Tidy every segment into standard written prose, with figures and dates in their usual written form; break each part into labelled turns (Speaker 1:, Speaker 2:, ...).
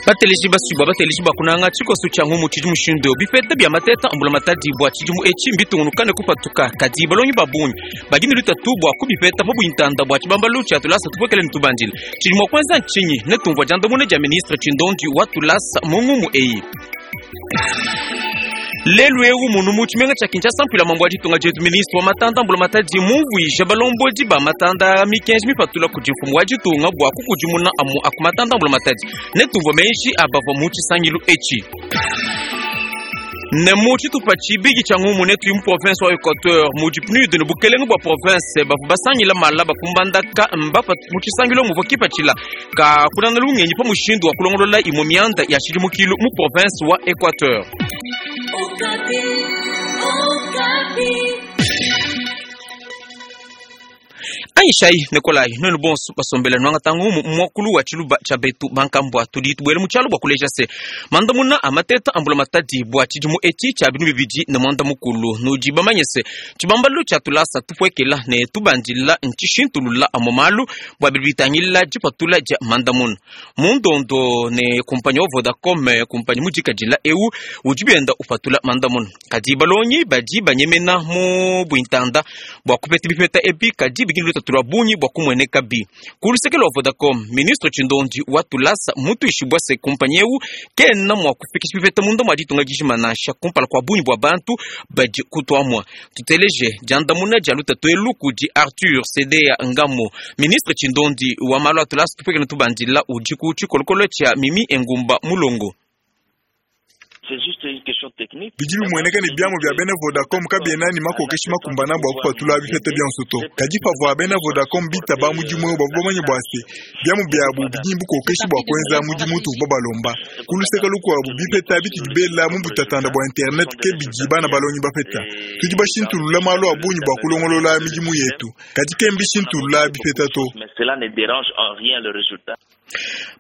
Speaker 1: Bateleji basuibua, bateleji ba kunanga, tshikoso tshia ngumu tshidi mushindu eu. Bipeta bia mateta a mbulamatadi bua tshidimu etshi mbitungunuka ne kupatuka, kadi balongi ba bungi badi ne lutatu bua kubipeta pa buintanda bua tshibambalu tshia tulasa tupuekele ne tubandile. Tshidi mua kuenza ntshinyi? Netumvua diandamuna dia ministre Tshindondi wa tulasa mu ngumu eyi. Lelu eu munu mu tshimenga tshia Kinshasa, mpuila mambo wa ditunga dietu ministre wa matanda mbulamatadi mumvuija balombodi ba matanda a mikenji mipatula kudi mfumu wa ditunga bua kukudimuna amu aku matanda mbulamatadi. Netumvua meji a bavua mu tshisangilu etshi. Ne mu tshitupa tshibidi tshia ngumu netuyi mu province wa Equateur mudi PNUD ne bukelenge bua province bavua basangila malaba ku Mbandaka mbapa mu tshisangilu muvua kipatshila ka kunana lungenyi pa mushindu wa kulongolola imue mianda ya tshidimukilu mu province wa Equateur. Anyishayi ne kolayi nuenu bonso basombela nuangata ngumu mu muakulu wa tshiluba tshia betu bankambua. Tudi tubuela mu tshialu bua kuleja se mandamuna a mateta a mbulamatadi bua tshidimu etshi tshia binunu 2010. Nudi bamanye se tshibambalu tshia tulasa tupuekela ne tubandila ntshishintulula amue malu bua bidi bitangila dipatula dia mandamuna mu ndondo ne kumpanyi wa Vodacom, kumpanyi mudikadila eu udi bienda upatula mandamuna. Kadi balongi badi banyemena mu buintanda bua kupeta bipeta ebi, kadi bidi ne lutatu lua bungi bua kumuenekabi. Ku luseke lua Vodacom, ministre Tshindondi wa tulasa mmutuishibua se kumpanyi eu kena mua kufikisha bipeta munda mua ditunga dijima nansha kumpala kua bungi bua bantu badi kutuamua. Tuteleje diandamuna dia lutatu elu kudi Arthur Sedea Ngamo, ministre Tshindondi wa malu a tulasa tupuekele ne tubandila udi ku tshikolokolo tshia Mimi Engumba Mulongo.
Speaker 2: Bidi bimueneka ne, biamu bia bena Vodacom kabiena ne makokeshi makumbana bua kupatula bipeta bionso to. Kadi pavua bena Vodacom bitaba mudimu eu, bavua bamanye bua se, biamu biabu bidi ne bukokeshi bua kuenza mudimu utuvua babalomba. Ku luseke lukuabu, bipeta bitudi bela mu butatanda bua Internet ke bidi bana balongi bapeta. Tudi bashintulula malu a bungi bua kulongolola midimu yetu, kadi ke mbishintulula bipeta to.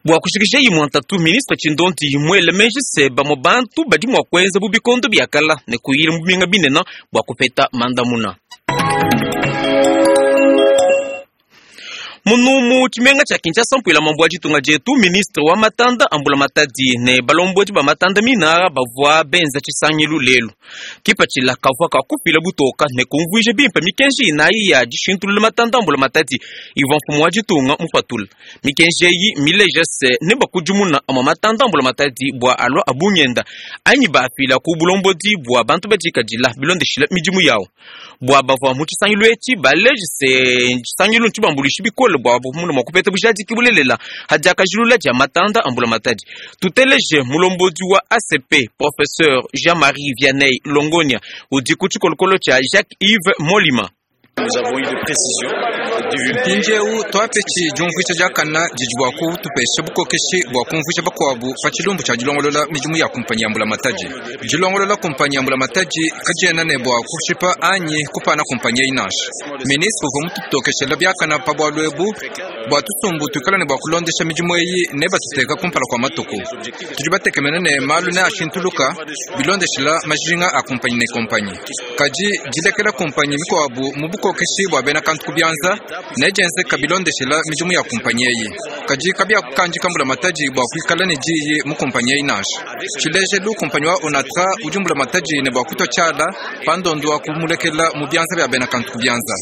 Speaker 1: Bua kushikisha imue ntatu, ministre Tshindondi muele meji se bamue bantu badi mua kuenza bu bikondo bia kala ne kuyila mu bimenga binene bua kupeta mandamuna. Munu mu tshimenga tshia Kinshasa, mpuila mambu wa ditunga dietu, ministre wa matanda a mbulamatadi ne balombodi ba matanda minara bavua benza tshisangilu lelu. Kipatshila kavua ka kufila butoka ne kumvuija bimpe mikenji inayi ya dishintulula matanda a mbulamatadi ivua mfumu wa ditunga mupatule. Mikenji eyi mmileja se, nebakudimuna amue matanda a mbulamatadi bua alua a bungenda anyi baafila ku bulombodi bua bantu badikadila bilondeshile midimu yawu. Bua bavua mu tshisangilu etshi baleje se, tshisangilu ntshibambuluishe bikole bua bamone mua kupeta bujadiki bulelela ha diakajilula dia matanda a mbulamatadi. Tuteleje mulombodi wa ACP, Professeur Jean-Marie Vianney Longonia, udi ku tshikolokolo tshia Jacques-Yves Molima.
Speaker 3: Mpindieu tuapetshi diumvuija diakane didi bua kutupesha bukokeshi bua kumvuija bakuabu pa tshilumbu tshia dilongolola midimu ya kumpanyi ya mbulamatadi. Dilongolola kumpanyi ya mbulamatadi kadiena ne bua kushipa anyi kupana kumpanyi eyi nansha. Ministre uvua mututokeshela biakane pa bualu ebu bua tusumbu tuikala ne bua kulondesha midimu eyi ne batuteka kumpala kua matuku. Tudi batekemene ne malu neashintuluka bilondeshila majinga a kumpanyi ne kumpanyi. Kadi dilekela kumpanyi mikuabu mu bukokeshi bua bena kantu ku bianza nedienzeka bilondeshila midimu ya kumpanyi eyi. Kadi kabiakukandika mbulamatadi bua kuikala ne diyi mu kumpanyi eyi nansha. Tshilejelu, kumpanyi wa Onatra udi mbulamatadi ne bua kutua tshiala pa ndondo wa kumulekela mu bianza bia bena kantu ku bianza.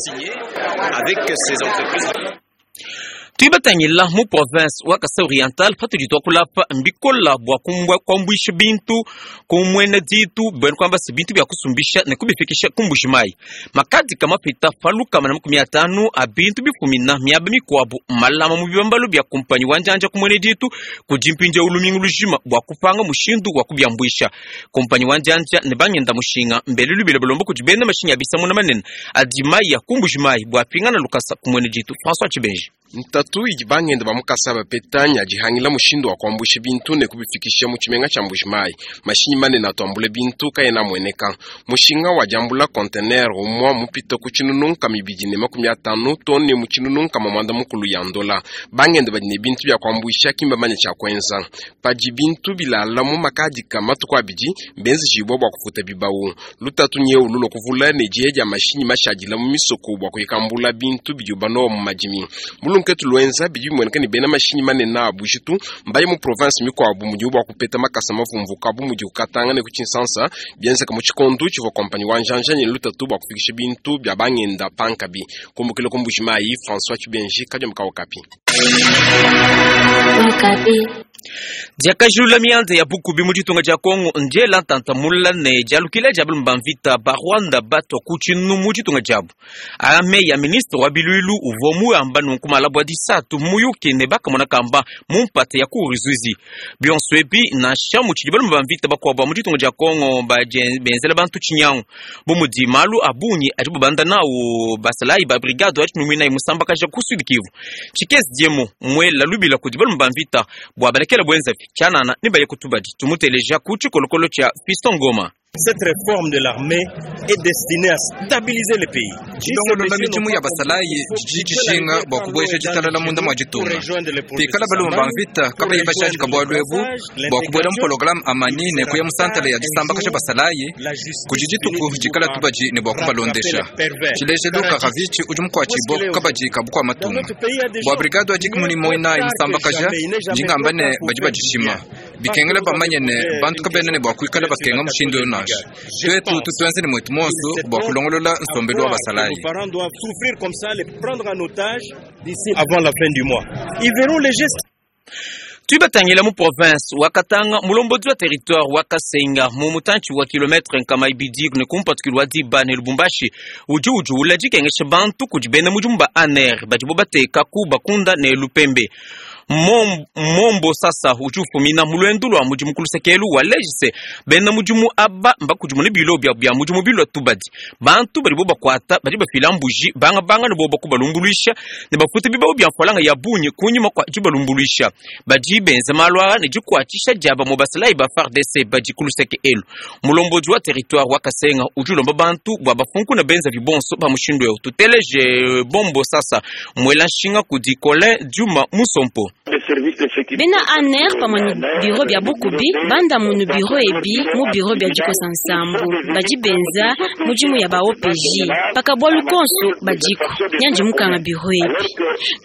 Speaker 1: Tudi batangila mu province wa Kasai Oriental patudi tuakula apa mbikola bua kuambuisha bintu ku muena ditu buena kuamba se bintu bia kusumbisha ne kubifikisha ku Mbuji-Mayi. Makadika mapita pa 150 a bintu bifumina miaba mikuabu malama mu bibambalu bia kumpanyi wa njanja ku muena ditu kudi mpindieu lumingu lujima bua kupanga mushindu wa kubiambuisha. Kumpanyi wa njanja ne bangenda mushinga mbele lubila balomba kudi bena mashinyi a bisamuna manene adi maya ku Mbuji-Mayi bua apingana lukasa ku muena ditu. François Tshibenji.
Speaker 4: Ntatu idi bangenda ba mu Kasai bapeta nya dihangila mushindu wa kuambuisha bintu ne kubifikisha mu tshimenga tshia Mbuji-Mayi. Mashinyi manene atu ambula bintu kaena amueneka. Mushinga wa diambula conteneur umua mupite ku 250 too ne mu 160 ya ndola. Bangenda badi ne bintu bia kuambuisha ki mbamanye tshia kuenza. Padi bintu bilala mu makadika matuku abidi, mbenzejibua bua kufuta bibawu. Lutatu nyeu lulua kuvula ne diya dia mashinyi mashadila mu misoko bua kuikambula bintu bidibu banowa mu madimi. lunketu luenza bidi bimueneka ne bena mashinyi manene a bujitu mbaye mu province mikuabu mudibu bua kupeta makasa mavumvuka bu mudi ku Katanga ne ku Tshinsansa, bienzeka mu tshikondu tshivua kompanyi wa njanja ne lutatu bua kufikisha bintu bia bangenda pankabi. Kumbukila ku Mbuji-Mayi, François Tshibenji, Kadiombo ka Okapi.
Speaker 1: Diakajilula mianda ya bukubi mu ditunga dia Kongo ndiela ntanta mula ne dialukila dia balume ba mvita ba Rwanda batua ku tshinu mu ditunga diabu. Aa meyi a ministre wa biluilu uvua muyamba nunku malaba a disatu muyuki ne bakamona kamba mu mpata ya ku Ruzizi. Bionso ebi nansha mutshidi balume ba mvita bakuabu ba mu ditunga dia Kongo benzela bantu tshinyangu bu mudi malu a bungi adibu banda nawu basalayi ba brigade wa tshinuminayi musambakaja ku Sud Kivu. Tshikezi diemu muela lubila kudi balume ba mvita bua balekela buenzavi tshianana ne baye ku tubadi. Tumuteleja ku tshikolokolo tshia Fiston Ngoma.
Speaker 5: Cette réforme de l'armée est destinée à stabiliser le pays.
Speaker 3: Dilongolola midimu ya basalayi didi dijinga bua kubueja ditalala munda mua ditunga. Pikala balume ba mvita kabayi bajadika bualu ebu bua kubuela mu programme amani ne kuya mu santala ya disambakaja basalayi, kudi dituku dikala tubadi ne bua kubalondesha. Tshilejelu Karavici udi mukuatshibua ku kabadi ka bukua matunga bua brigade wa dikumi ne muinayi musambakaja, ndi ngamba ne badi badishima. Bikengela bamanye ne bantu kabena ne bua kuikala bakenga mushindu eu nansha. Tuetu tutuenze ne muetu muonso bua kulongolola nsombelu wa basalayi.
Speaker 5: Les parents doivent souffrir comme ça, les prendre en otage d'ici avant la fin du mois. Ils verront les gestes.
Speaker 1: Tuibatangila mu province wa Katanga mulombodi wa territoire wa Kasenga mu mutantshi wa kilometre nkama ibidi ne kumpatukilu wa diba ne Lubumbashi udi ujuula dikengesha bantu kudi bena mudimu ba ANR badibo bateka ku Bakunda ne Lupembe. Mombo sasa udi ufumina mu luendu lua mudimu ku lusekelu wa lejise bena mudimu aba mbakudimuna bilo bia bia mudimu bilua tubadi bantu badibo bakuata badi bafila mbuji banga banga ne boba kubalumbuluisha ne bafuta bibau bia mfualanga ya bungi kunyima kua dibalumbuluisha badi benza malu aa ne dikuatshisha dia bamue basalayi ba FARDC badi ku luseke elu. Mulombodi wa territoire wa Kasenga udi ulomba bantu bua bafunkuna benza bibonso ba mushindu eu. Tuteleje Bombo sasa muela nshinga kudi Colin Djuma Musompo.
Speaker 6: Bena ANR pamue ne biro bia bukubi banda munu biro ebi mu biro bia dikosa nsambu badi benza mudimu ya ba OPJ pakabualu konso badiku nyanji mukanga biro ebi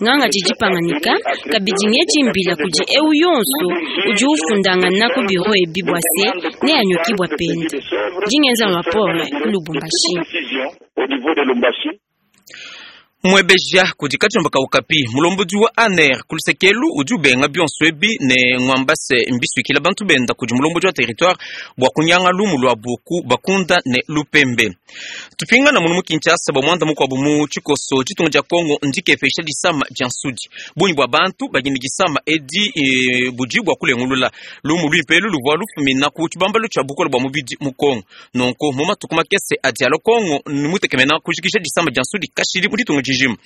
Speaker 6: nganga didipanganika kabidi ngejimbila kudi eu yonso udi ufundangana ku biro ebi bua se neanyokibua pende dingenza rapport ku Lubumbashi.
Speaker 1: Mwebeja kudi Kadiombo ka Okapi mulombodi wa ANR ku lusekelu udi ubenga bionso ebi ne ngwambase mbisuikila bantu benda kudi mulombodi wa territoire bua kunyanga lumu luabu ku Bakunda ne Lupembe. Tupingana munu mu Kinshasa bua muanda mukuabu mu tshikoso ditunga dia Kongo ndikepesha disama dia nsudi. Bungi bua bantu badi ne disama edi budi bua kulengulula lumu luimpe elu luvua lufumina ku tshibambalu tshia bukole bua mubidi mu Kongo. Nunku mu matuku makese adi alua Kongo mutekemena kujikija disama dia nsudi kashidi mu ditunga dijima.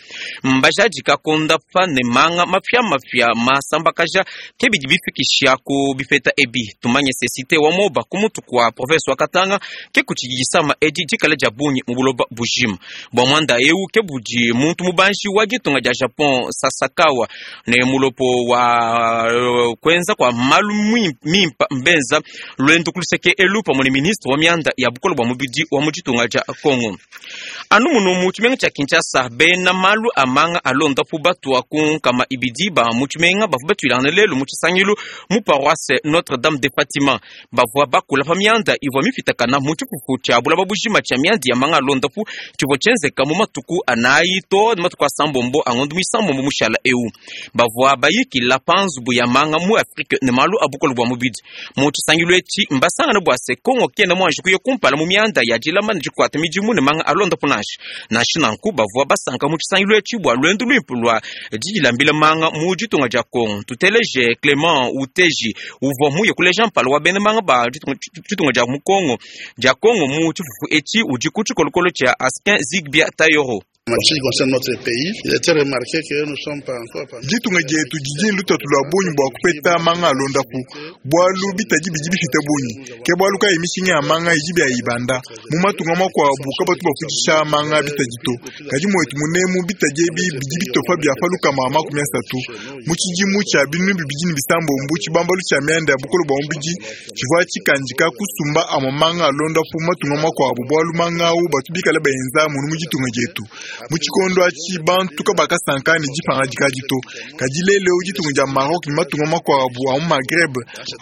Speaker 1: Mbajadika kondapa ne manga mapia mapia masambakaja ke bidi bifikisha ku bipeta ebi. Tumanye se cité wa Moba ku mutu kua province wa Katanga ke kutshidi disama edi dikala dia bungi mu buloba bujima. Bua muanda eu ke budi muntu mubanji wa ditunga dia Japon Sasakawa ne mulopo wa kuenza kua malu mimpa mbenza luendu ku luseke elu pamue ne ministre wa mianda ya bukole bua mubidi wa mu ditunga dia Kongo. Anu munu mu tshimenga tshia Kinshasa bena malu a manga alondapu batua ku nkama ibidi ba mu tshimenga bavua batuilangana lelu mu tshisangilu mu paroisse Notre Dame de Fatima. Bavua bakula pa mianda ivua mipitakana mu tshifufu tshia bulaba bujima tshia mianda ya manga alondapu tshivua tshienzeka mu matuku anayi to ne matuku asambombo a ngondo muisambombo mushala eu. Bavua bayikila pa nzubu ya manga mu Afrike ne malu a bukole bua mubidi. Mu tshisangilu etshi mbasangana bua se Kongo kena muanji kuya kumpala mu mianda ya dilama ne dikuata midimu ne manga alondapu nansha. Nansha nanku bavua basanka mu tshisangilu etshi bua luendu luimpe lua didilambila manga mu ditunga dia Kongo. Tuteleje Clement Uteji uvua muye kuleja mpala wa bena manga ba ditunga dia mu Kongo dia Kongo mu tshifufu etshi udi ku tshikolokolo tshia Askin Zigbia Tayoro.
Speaker 2: Ditunga dietu didi ne lutatu lua bungi bua kupeta manga alondapu bualu bitadi bidi bipite bungi ke bualu kayi mishinga ya manga idi bia ibanda mu matunga makuabu kabatu bafutshisha manga bitadi to kadi muetu munemu bitadi ebi bidi bitopa bia pa lukama makumi asatu. Mu tshidimu tshia 2036, tshibambalu tshia mianda ya bukole bua mubidi tshivua tshikandika kusumba amue manga a luondapu mu matunga makuabu bualu manga au batu bikale baenza munu mu ditunga dietu. Mu tshikondo atshi bantu kabakasanka ne dipangadika adi to. Kadi lelu eu ditunga dia Maroc ne matunga makuabu a mu Maghreb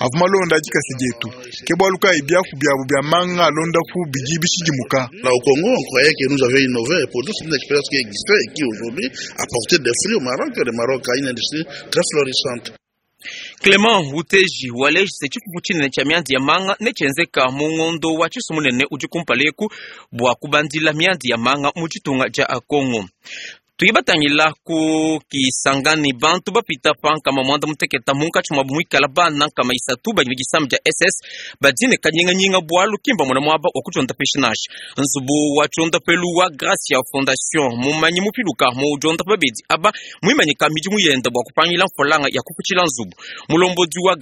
Speaker 2: avua malonda dikasa dietu. Ke bualu kayi biapu biabu bia manga a luondapu bidi bishidimuka.
Speaker 7: Là au Congo, on croyait que nous avions innové. Et pourtant, c'est une expérience qui existait et qui aujourd'hui a porté des fruits au Maroc. Le Maroc a une industrie très florissante.
Speaker 1: Clement Wuteji waleji se tshifufu tshinene tshia mianzi ya manga netshienzeka mu ngondo wa tshisu munene udi kumpala eku bua kubandila mianzi ya manga mu tshitunga dia Kongo. Tuyibatangila ku Kisangani bantu bapita pa nkama mwanda muteketa munkatshi mwabu muikala bana nkama isatu badi disama dia SS badine kanyinganyinga bualu kimba mona muaba wa kudiondapesha nansha. Nzubu wa tshiondapelu wa Gracia Fondation mumanyi mupiluka mu diondapa babedi aba muimanyika midimu yenda bua kupangila mfolanga ya kuputshila nzubu. Mulombodi wa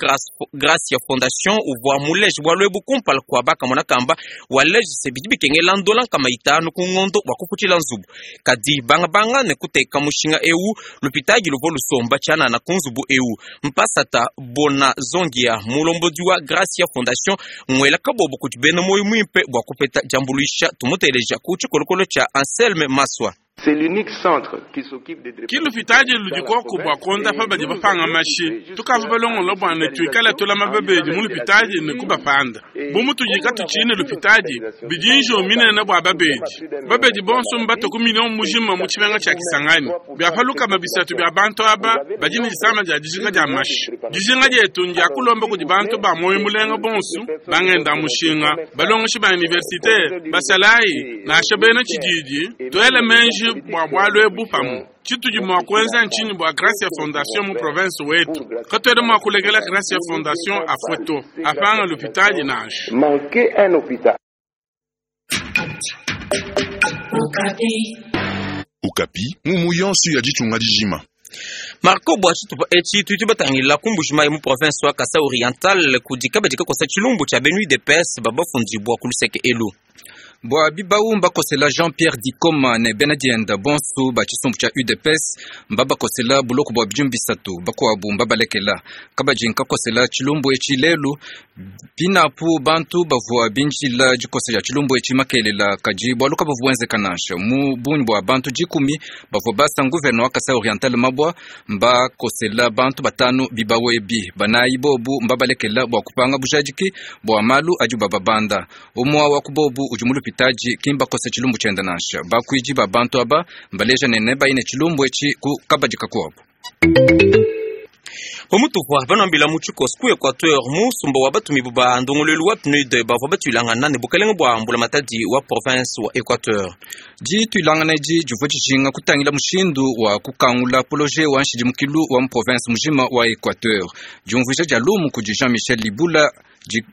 Speaker 1: Gracia Fondation uvua muleje bualu ebu kumpala kua bakamona kamba waleje se bidi bikengela ndola nkama itanu ku ngondo bua kuputshila nzubu. Kadi bangabanga ne kuteka mushinga eu lupitagi luvua lusomba tshianana ku nzubu eu. Mpasata Bona Zongia mulombodi wa Gracia Fondation ngwela kabobo kudi bena moyo muimpe bua kupeta diambuluisha tumuteleja ku tshikolokolo tshia Anselme Maswa.
Speaker 8: Ki lupitadi ludi koku bua kuondapa badi bapanga mashi tukavua balongola bua ne tuikale tulama babedi mu lupitadi ne kubapanda bu mutudi katutshine lupitadi bidi njo minene bua babedi babedi bonso mbato ku million mujima mu tshimenga tshia Kisangani biapalukama bisatu bia bantu aba badi ne disama dia dijinga dia mashi dijinga dietu ndia kulomba kudi bantu ba moyo mulenga bonso bangenda mushinga balongeshi ba universite basalayi nansha bena tshididi tuele menji bua bualu ebu pamue tshitudi mua kuenza ntshinyi bua Gracia Fondation mu province wetu katuena mua kulekela Gracia Fondation afue to apanga lupitadi nansha.
Speaker 9: Okapi ngumu yonso ya ditunga dijima.
Speaker 1: Marco bua tshitupa etshi tudi batangila ku Mbuji-Mayi mu province wa Kasai Oriental kudi kabadi kakosa tshilumbu tshia bena UDPS babafundibua ku luseke elu.
Speaker 3: Bua bibau mbakosela Jean-Pierre Dikoma ne bena dienda bonso ba tshisumbu tshia UDPS mbabakosela buloko bua bidimu bisatu bakuabu mbabalekela kabadi nkakosela tshilumbu etshi lelu pinapu bantu bavua binjila dikosa dia tshilumbu etshi makelela kadi bualu kabavua buenzeka nansha mu bungi bua bantu dikumi bavua basa gouverneur wa Kasai Oriental mabwa mbakosela bantu batanu bibau ebi banayi bobu mbabalekela bua kupanga bujadiki bua malu adi bababanda umwa wa kubobu udi mu lupitadi kimbakosa tshilumbu tshienda nansha bakuidi ba bantu aba mbaleja nene bayine tshilumbu etshi ku kabadi kakuabu.
Speaker 1: Pamutupa banambila mu tshikoso ku Equateur musumba wa batumibu ba ndongoluelu wa PNUD bavua batuilangana ne bukelenge bua mbulamatadi wa province wa Equateur.
Speaker 3: Dituilangana edi divua dijinga kutangila mushindu wa kukangula projet wa nshidimukilu wa mu province mujima wa Equateur. Diumvuija dia lumu kudi Jean-Michel Libula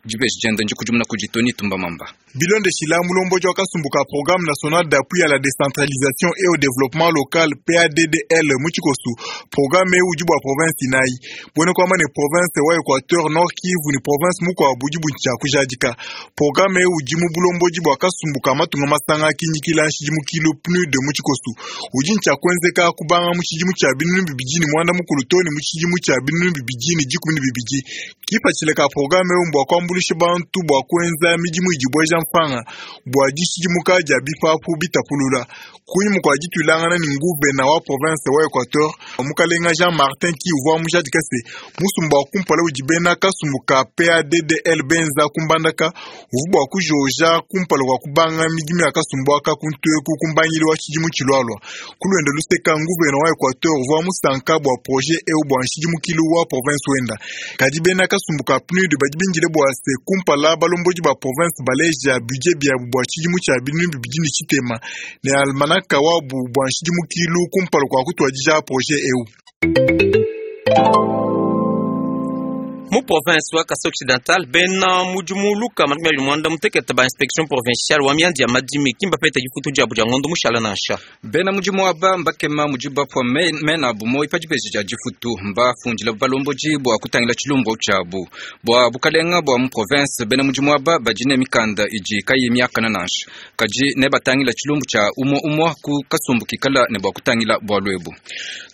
Speaker 3: dibeji dienda ndikudimuna kudi Tony Tumbamamba.
Speaker 2: Bilondeshila mulombodi wa kasumbu ka Programme national d'appui à la décentralisation et au développement local PADDL mu tshikosu programme eu udi bua province inayi buena kuamba ne province wa Equateur Nord Kivu ni province mukuabu budi butshia kujadika. Programme eu udi mu bulombodi bua kasumbu ka matunga masanga kinyikila nshidimukilu PNUD mu tshikosu udi ntshia kuenzeka kubanga mu tshidimu tshia 2013 to ne mu tshidimu tshia 2012. Kipatshila ka programme eu mbua kuambuluisha bantu bua kuenza midimu idi bueja mfanga bua dishidimuka dia bipapu bitapulula. Kunyima kua dituilangana ne nguvena wa province wa Equateur mukalenga Jean Martin ki uvua mujadika se musumba wa kumpala udi bena kasumbu ka PADDL benza kumbandaka uvua bua kujoja kumpala kua kubanga midimu ya kasumbu aka kuntueku kumbangili wa tshidimu tshilualua. Kuluenda luseka nguvena wa Equateur uvua musanka bua projet eu bua nshidimukilu wa province wenda. Kadi bena kasumbu ka PNUD badi bindile bua se kumpala balombodi ba province baleja budget biabu bua tshidimu tshia 2023 ne almanaka wabu bua nshidimukilu kumpala kua kutuadija projet eu.
Speaker 1: Mu province wa Kasai Occidental, bena mudimu 218 ba inspection provinciale wa miandi ya madimi ki mbapete difutu diabu dia ngondo mushala nansha.
Speaker 3: Bena mudimu aba mbakema mudi bapua mena abu moyi pa dibeji dia difutu, mbafundila balombodi bua kutangila tshilumbu tshiabu. Bua bukalenga bua mu province, bena mudimu aba badi ne mikanda idi kayi miakana nansha, kadi ne batangila tshilumbu tshia umue umue ku kasumbu kikala ne bua kutangila bualu ebu.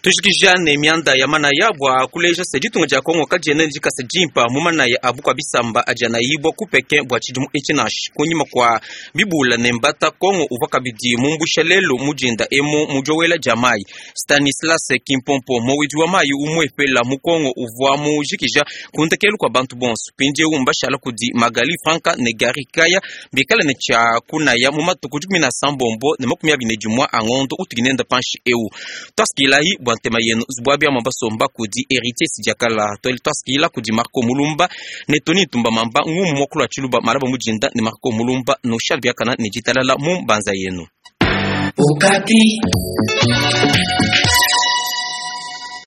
Speaker 1: Tujikija ne mianda ya manaya bua kuleja se ditunga dia Kongo kadiena dikasa dimpa mu manaya a bukua bisamba adi anayibua ku Pekin bua tshidimu etshi nansha. Kunyima kua bibula ne mbata, Kongo uvua kabidi mumbusha lelu mu dinda emu mu diowela dia mayi. Stanislas Kimpompo, mowidi wa mayi umuepela mu Kongo, uvua mujikija ku ndekelu kua bantu bonso. Mpindieu mbashala kudi Magali Franka ne Gary Kaya bikale ne tshia kunaya mu matuku 19 ne 21 a ngondo utudi nenda panshi eu. Twasikilayi bua ntema yenu zubwa bia basomba kudi Héritier Sidiakala, twasikila kudi Marco Mulumba ne Tony Ntumba Mamba ngumu mwakulu wa Tshiluba malaba mujinda ne Marco Mulumba no Charles Biakana ne ditalala mu mbanza yenu.
Speaker 10: Okapi.